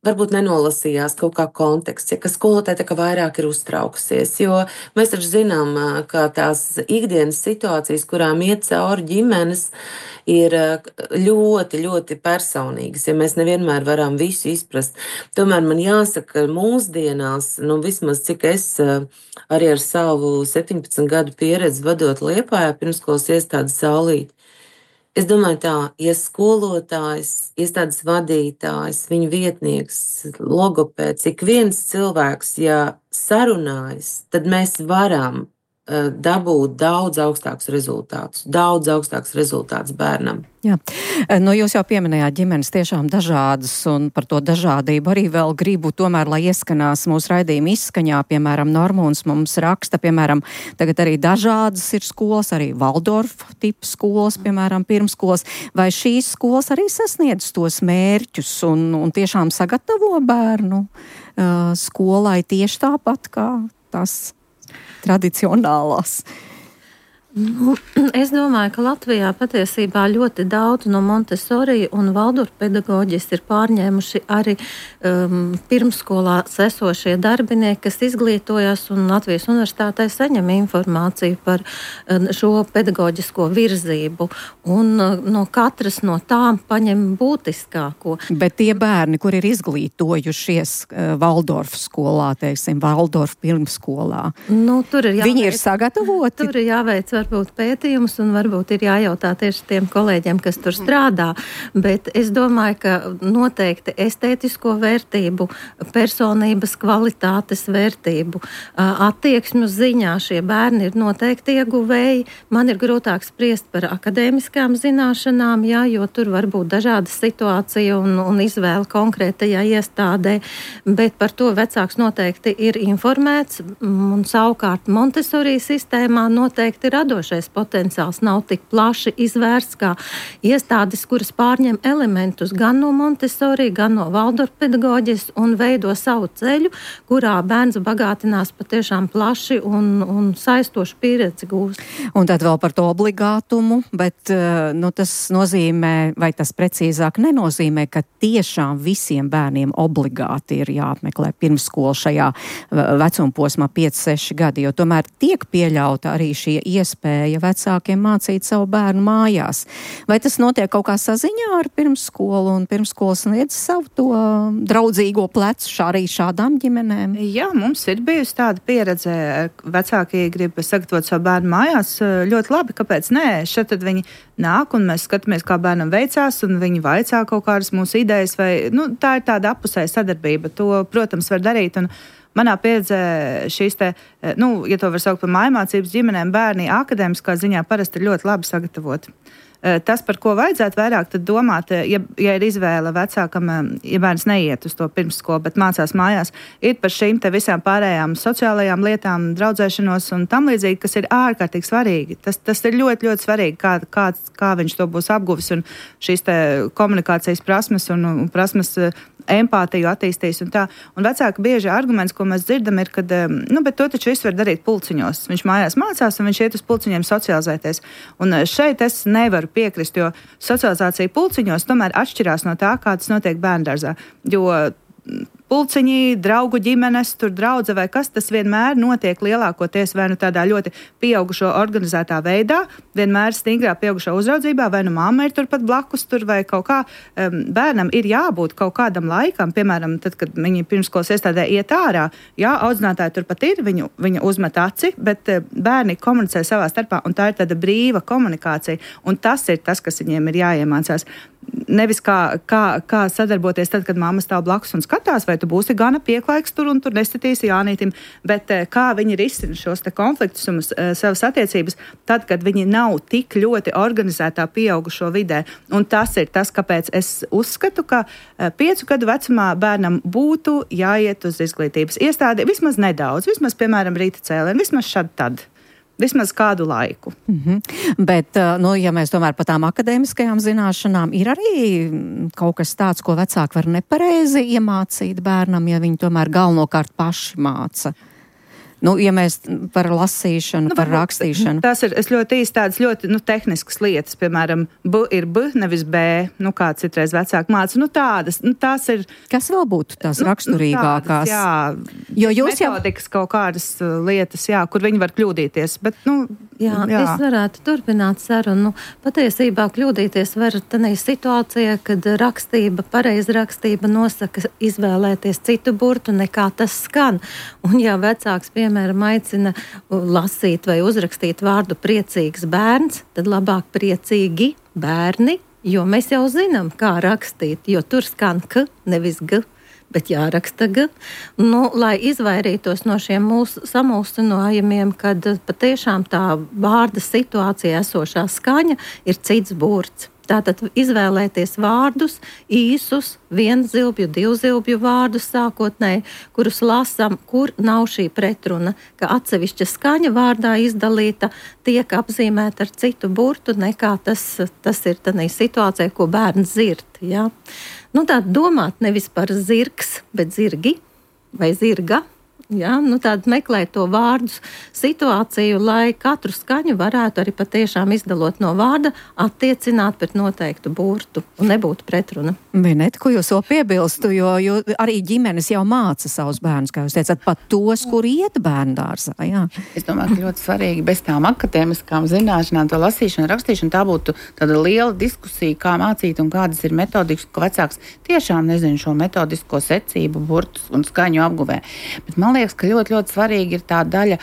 varbūt nenolasījās kaut kā konteksts, ja, ka skolotāja tā kā vairāk ir uztraukusies, jo mēs taču zinām, ka tās ikdienas situācijas, kurām iet cauri ģimenes, ir ļoti, ļoti personīgas, ja mēs nevienmēr varam visu izprast. Tomēr man jāsaka, ka mūsdienās, vismaz cik es arī ar savu 17 gadu pieredzi vadot Liepājā pirmsskolas iestādes Saulīti, es domāju tā, ja skolotājs, iestādes vadītājs, viņa vietnieks, logopēds, ik viens cilvēks, ja sarunājas, tad mēs varam dabūt daudz augstākus rezultātus bērnam. Jā, jūs jau pieminējāt ģimenes tiešām dažādas, un par to dažādību arī vēl gribu tomēr, lai ieskanās mūsu raidījuma izskaņā, piemēram, Normūns mums raksta, piemēram, tagad arī dažādas ir skolas, arī Valdorfa tipa skolas, piemēram, pirmskolas, vai šīs skolas arī sasniedz tos mērķus un tiešām sagatavo bērnu skolai tieši tāpat kā tas tradicionālās? Es domāju, ka Latvijā patiesībā ļoti daudz no Montessori un Valdorfa pedagoģijas ir pārņēmuši arī pirmskolā esošie darbinieki, kas izglītojās un Latvijas universitātē saņem informāciju par šo pedagoģisko virzību. Un no katras no tām paņem būtiskāko. Bet tie bērni, kur ir izglītojušies Valdorfa skolā, teiksim, Valdorfa pirmskolā, viņi ir sagatavoti? Tur ir jāveic varbūt pētījums un varbūt ir jājautā tieši tiem kolēģiem, kas tur strādā, bet es domāju, ka noteikti estētisko vērtību, personības kvalitātes vērtību, attieksmju ziņā šie bērni ir noteikti ieguvēji. Man ir grūtāk spriest par akadēmiskām zināšanām, jā, jo tur var būt dažāda situācija un izvēle konkrētajā iestādē, bet par to vecāks noteikti ir informēts, un savukārt Montessori sistēmā noteikti ir radošais potenciāls nav tik plaši izvērsts kā iestādes, kuras pārņem elementus gan no Montessori, gan no Valdorfa pedagoģijas un veido savu ceļu, kurā bērns bagātinās patiešām plaši un saistošu pieredzi gūst. Un tad vēl par to obligātumu, bet tas nozīmē, vai tas precīzāk nenozīmē, ka tiešām visiem bērniem obligāti ir jāapmeklē pirmsskola šajā vecumposmā 5-6 gadi, jo tomēr tiek pieļauta arī šī iespēja vecākiem mācīt savu bērnu mājās. Vai tas notiek kaut kā saziņā ar pirmsskolu un pirmsskolas sniedz savu to draudzīgo plecu arī šādām ģimenēm? Jā, mums ir bijusi tāda pieredze. Vecāki grib sagatavot savu bērnu mājās. Ļoti labi, kāpēc nē? Šeit tad viņi nāk un mēs skatāmies, kā bērnam veicās un viņi vaicā kaut kādas mūsu idejas vai, tā ir tāda appusēja sadarbība. To, protams, var darīt un manā pieredzē šīs te, ja to var saukt par mājmācības ģimenēm, bērni akadēmiskā ziņā parasti ir ļoti labi sagatavoti. Tas, par ko vajadzētu vairāk tad domāt, ja ir izvēle vecākam, ja bērns neiet uz to pirmsskolu, bet mācās mājās, ir par šīm te visām pārējām sociālajām lietām, draudzēšanos un tam līdzīgi, kas ir ārkārtīgi svarīgi. Tas ir ļoti, ļoti svarīgi, kā viņš to būs apguvis un šīs te komunikācijas prasmes un prasmes empātiju attīstīs un tā. Un vecāki bieži arguments, ko mēs dzirdam, ir, ka, bet to taču viss var darīt pulciņos. Viņš mājās mācās un viņš iet uz pulciņiem socializēties. Un šeit es nevaru piekrist, jo socializācija pulciņos tomēr atšķirās no tā, kā tas notiek bērndārzā. Jo pulciņi, draugu ģimenes, tur draudze vai kas, tas vienmēr notiek lielākoties vai nu tādā ļoti pieaugušo organizētā veidā, vienmēr stingrā pieaugušo uzraudzībā, vai nu mamma ir turpat blakus tur vai kaut kā. Bērnam ir jābūt kaut kādam laikam, piemēram, tad, kad viņi pirmskolas iestādē iet ārā, jā, audzinātāji turpat ir, viņa uzmet aci, bet bērni komunicē savā starpā, un tā ir tāda brīva komunikācija, un tas ir tas, kas viņiem ir jāiemācās. Nevis kā sadarboties tad, kad mamma stāv blakus un skatās, vai tu būsi gana pieklaiks tur un tur nestatīsi Jānītim, bet kā viņi risina šos te konfliktus un savas attiecības tad, kad viņi nav tik ļoti organizētā pieaugušo vidē. Un tas ir tas, kāpēc es uzskatu, ka 5 gadu vecumā bērnam būtu jāiet uz izglītības iestādi vismaz nedaudz, vismaz, piemēram, rīta cēlienu, vismaz šad tad. Vismaz kādu laiku. Bet, ja mēs tomēr par tām akadēmiskajām zināšanām, ir arī kaut kas tāds, ko vecāki var nepareizi iemācīt bērnam, ja viņi tomēr galvenokārt paši māca. Ja mēs par lasīšanu, par rakstīšanu. Tas ir ļoti īsti tādas ļoti tehniskas lietas, piemēram, B ir B, nevis B, kā citreiz vecāki māca. Tādas, tās ir. Kas vēl būtu tās raksturīgākās? Tādas, jo jūs metodikas kaut kādas lietas, kur viņi var kļūdīties, bet, es varētu turpināt sarunu. Patiesībā kļūdīties var tādā situācijā, kad pareizrakstība nosaka izvēlēties citu burtu, nekā tas skan. Un ja vecāks, piemēram, aicina lasīt vai uzrakstīt vārdu priecīgs bērns, tad labāk priecīgi bērni, jo mēs jau zinām, kā rakstīt, jo tur skan K, nevis G. Bet jāraksta G. Lai izvairītos no šiem mūsu samulsinājumiem, kad patiešām tā vārda situācija esošā skaņa ir cits burts. Tātad izvēlēties vārdus, īsus, vienzilbju, divzilbju vārdus sākotnēji, kurus lasām, kur nav šī pretruna, ka atsevišķa skaņa vārdā izdalīta tiek apzīmēta ar citu burtu, nekā tas ir tādā situācijā, ko bērns dzird. Ja? Tā domāt nevis par zirgs, bet zirgi vai zirga. Ja, tāda meklēt to vārdu situāciju, lai katru skaņu varētu arī patiešām izdalot no vārda, attiecināt pret noteiktu burtu un nebūtu pretruna. Vineta, ko jūs vēl piebilstu, jo arī ģimenes jau māca savus bērnus, kā jūs teicat, pat tos, kur iet bērndārzā. Jā. Es domāju, ka ļoti svarīgi bez tām akadēmiskām zināšanām, to lasīšanu, rakstīšanu, tā būtu tāda liela diskusija, kā mācīt un kādas ir metodikas, ka vecāks tiešām nezina šo metodisko secību, burtus un skaņu apguvē. Bet man liekas, ka ļoti, ļoti svarīgi ir tā daļa,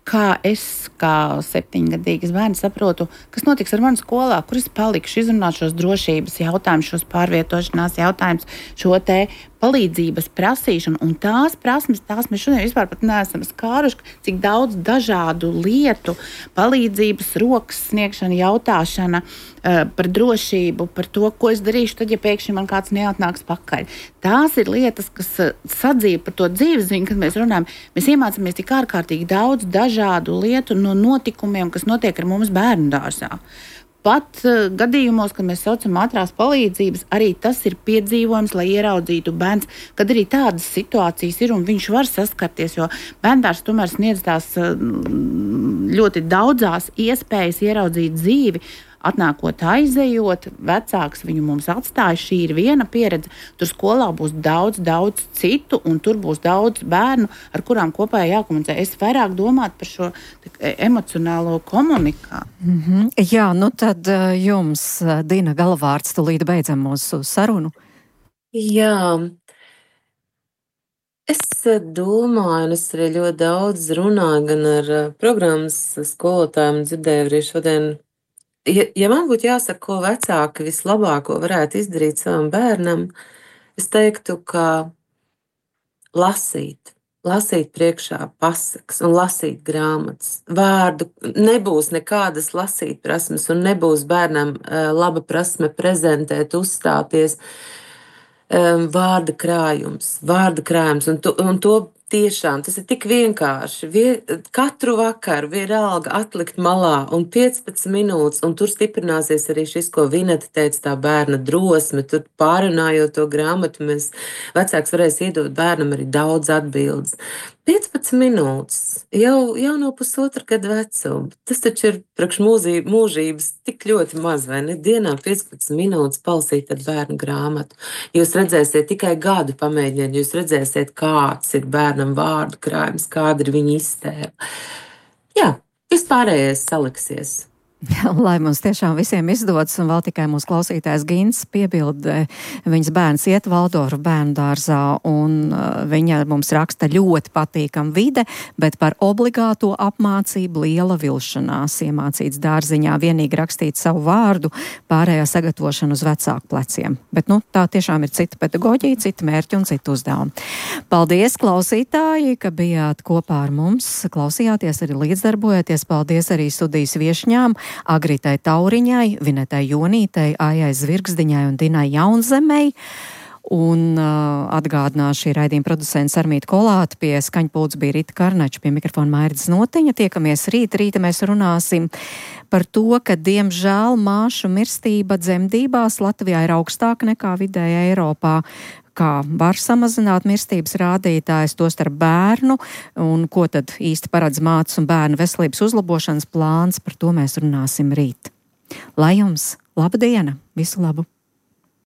kā es, kā 7-gadīgs bērns, saprotu, kas notiks ar mani skolā, kur es palikšu, izrunāt šos drošības jautājumus, šos pārvietošanās jautājumus, šo te palīdzības prasīšanu. Un tās prasmes, mēs šodien vispār pat neesam skāruši, cik daudz dažādu lietu, palīdzības, rokas sniegšana, jautāšana par drošību, par to, ko es darīšu tad, ja pēkšņi man kāds neatnāks pakaļ. Tās ir lietas, kas sadzīve par to dzīvesziņu, kad mēs runājam. Mēs iemācāmies tik ārkārtīgi daudz dažādu lietu no notikumiem, kas notiek ar mums bērndārzā. Pat gadījumos, kad mēs saucam ātrās palīdzības, arī tas ir piedzīvojums, lai ieraudzītu bērns, kad arī tādas situācijas ir un viņš var saskarties, jo bērndārs tomēr sniedz tās ļoti daudzās iespējas ieraudzīt dzīvi. Atnākot, aizejot, vecāks viņu mums atstāja. Šī ir viena pieredze. Tur skolā būs daudz citu, un tur būs daudz bērnu, ar kurām kopā jākomunicē. Es vairāk domātu par šo emocionālo komunikāciju. Jā, tad jums, Dina, galvārds, tūlīt beidzam mūsu sarunu. Jā. Es domāju, un es arī ļoti daudz runāju gan ar programmas skolotājiem, dzirdēju arī šodien. Ja man būtu jāsaka, ko vecāki vislabāko varētu izdarīt savam bērnam, es teiktu, ka lasīt priekšā pasakas un lasīt grāmatas. Vārdu nebūs nekādas lasīt prasmes un nebūs bērnam laba prasme prezentēt, uzstāties. Vārda krājums, un to tiešām, tas ir tik vienkārši. Katru vakaru vienalga atlikt malā un 15 minūtes, un tur stiprināsies arī šis, ko Vineta teica, tā bērna drosme. Tur pārunājot to grāmatu, vecāks varēs iedot bērnam arī daudz atbildes. 15 minūtes jau no pusotra gada vecuma. Tas taču ir priekš mūžības tik ļoti maz, vai ne? Dienā 15 minūtes palasīt ar bērnu grāmatu. Jūs redzēsiet tikai gadu pamēģiniet, jūs redzēsiet, kāds ir bērnam vārdu krājums, kāda ir viņa iztēle. Jā, vispārējais saliksies. Lai mums tiešām visiem izdodas, un vēl tikai mūsu klausītājs Gins piebilda, viņas bērns iet Valdorfu bērnu dārzā, un viņa mums raksta ļoti patīkam vide, bet par obligāto apmācību liela vilšanās, iemācīts dārziņā vienīgi rakstīt savu vārdu, pārējā sagatavošana uz vecāku pleciem. Bet, tā tiešām ir cita pedagoģija, cita mērķi un cita uzdevuma. Paldies, klausītāji, ka bijāt kopā ar mums, klausījāties arī līdzdarbojoties. Paldies arī studijas viešņām, Agritai Tauriņai, Vinetai Jonītei, Aijai Zvirgzdiņai un Dinai Jaunzemei. Un atgādināšu šī raidījuma producents Armīta Kolāta, pie skaņpults bija Rita Karnača, pie mikrofona Mairidis Notiņa. Tiekamies rīta mēs runāsim par to, ka diemžēl māšu mirstība dzemdībās Latvijā ir augstāka nekā vidēja Eiropā. Kā var samazināt mirstības rādītājs, tostarp bērnu, un ko tad īsti paredz mātes un bērnu veselības uzlabošanas plāns, par to mēs runāsim rīt. Lai jums laba diena, visu labu!